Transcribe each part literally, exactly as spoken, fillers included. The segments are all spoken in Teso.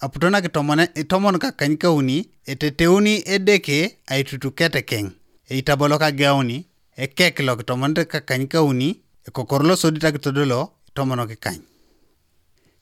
aputo nakitomone itomon kakanykauni, eteteuni Edeke aitutuketekeng, eitabolo kageuni, ekek lokitomonete kakanykauni, ekokor losodit akitodolo itomon kikany.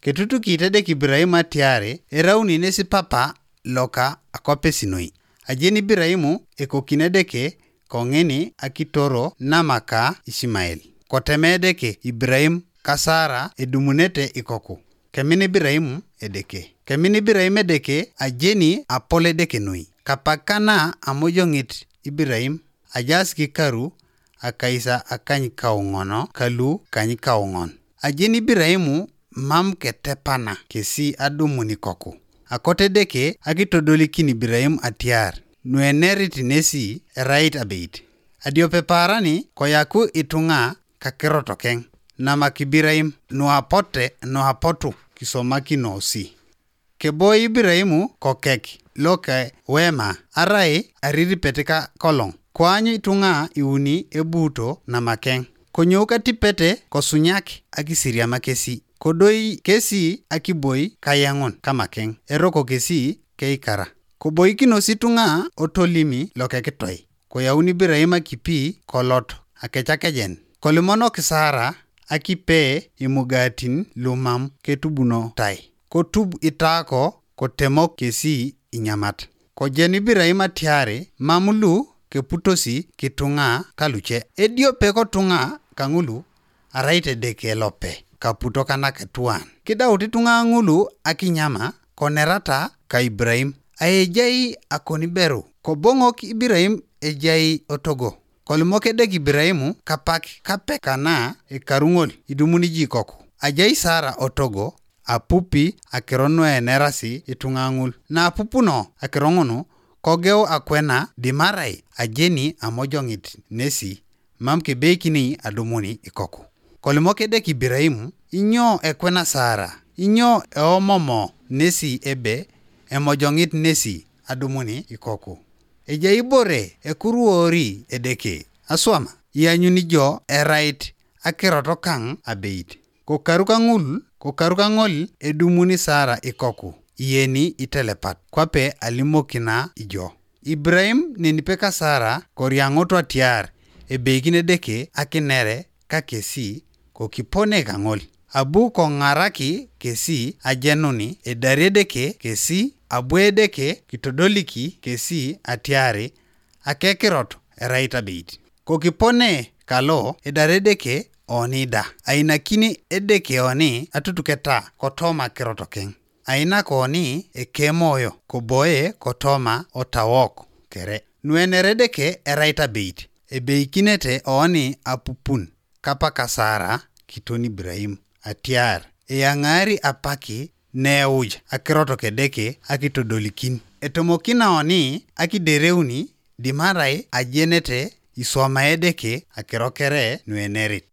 Ketutukit Edeke Ibrahim atiare erauni nesi papa loka akopesinoi. Ajeni Ibrahim ekokin Edeke kong'ini akitoro namaka Ishmael. Koteme Edeke Ibrahim ka Sara edumunete ikoku. Kemin Ibrahim Edeke. Kemin Ibrahim Edeke ajeni apol Edeke noi. Kapakana amojong'it Ibrahim ajaas kikaru akaisa akany kaung'ono kalu kany kaung'on. Ajeni Ibrahim mam ketepana kesi adumun ikoku. Akote Edeke akitodolikin Ibrahim atiar nuenerit nesi erait abeit. Adiope paarani koyaku itung'a kakirotokeng. Namak Ibrahim nuapote nuapotu kisomakinosi. Keboi Ibrahim kokek loke wema arai ariripet ka kolong. Koany itung'a iuni ebuuto namakeng. Konyou katipete kosunyak akisiriama kesi. Kodoi kesi akiboi kayeŋun kamakeng. Eroko kesi keikara. Koboikinos itung'a otolimi lokekitoi. Koyaun Ibrahim akipi kolot akecakejen. Kolimonok Sara akipe imugatin lumam ketubunotai. Kotub itaako kotemok kesi inyamat. Kojen Ibrahim atiari mam lu keputosi kitung'a kaluce. Ediope kotung'a kaŋulu arait Edeke lope kaputo kanakatuan. Kidaut ituŋa ŋulu akinyama konerata ka Ibrahim. Aejai akoniberu koboŋok Ibrahim ejai otogo. Kolimok Edeke Ibrahim kapak kape kana ekaru ŋol idumuni jikoku. Ajai Sara otogo apupi akiro nuenerasi ituŋa ŋul. Naapupuno akiro ŋunu kogeu akwena dimarai ajeni amojoŋit nesi mam kebeikini adumuni ikoku. Kolimok Edeke Ibrahim, inyo ekwena Sara? Inyo eomomo nesi ebe emojoŋit nesi adumuni ikoku? Ejai ibore ekuruori Edeke aswama? Ianyuni jo erait akirot kaŋ abeit. Kokaru kaŋul, kokaru kaŋol edumuni Sara ikoku, iyeni itelepat, kwape alimokina ijo. Ibrahim nenipe ka Sara koriaŋoto atiar ebeikin Edeke akinere ka kesi kokipone kaŋol. Abu koŋaraki kesi ajenuni edari Edeke kesi, abu Edeke kitodoliki kesi atiari akekirot erait abeit. Kokipone kalo edar Edeke oni da, ainakini Edeke oni atutuketa kotoma kirot keŋ. Ainak oni ekemoyo koboe kotoma otawok kere. Nuener Edeke erait abeit, ebeikinete oni apupun kapaka Sara kiton Ibrahim atiar eyaŋaari apaki neuj akirot Edeke akitodolikin. Etomokina oni akidereuni dimarai ajenete iswama Edeke akiro kere nuenerit.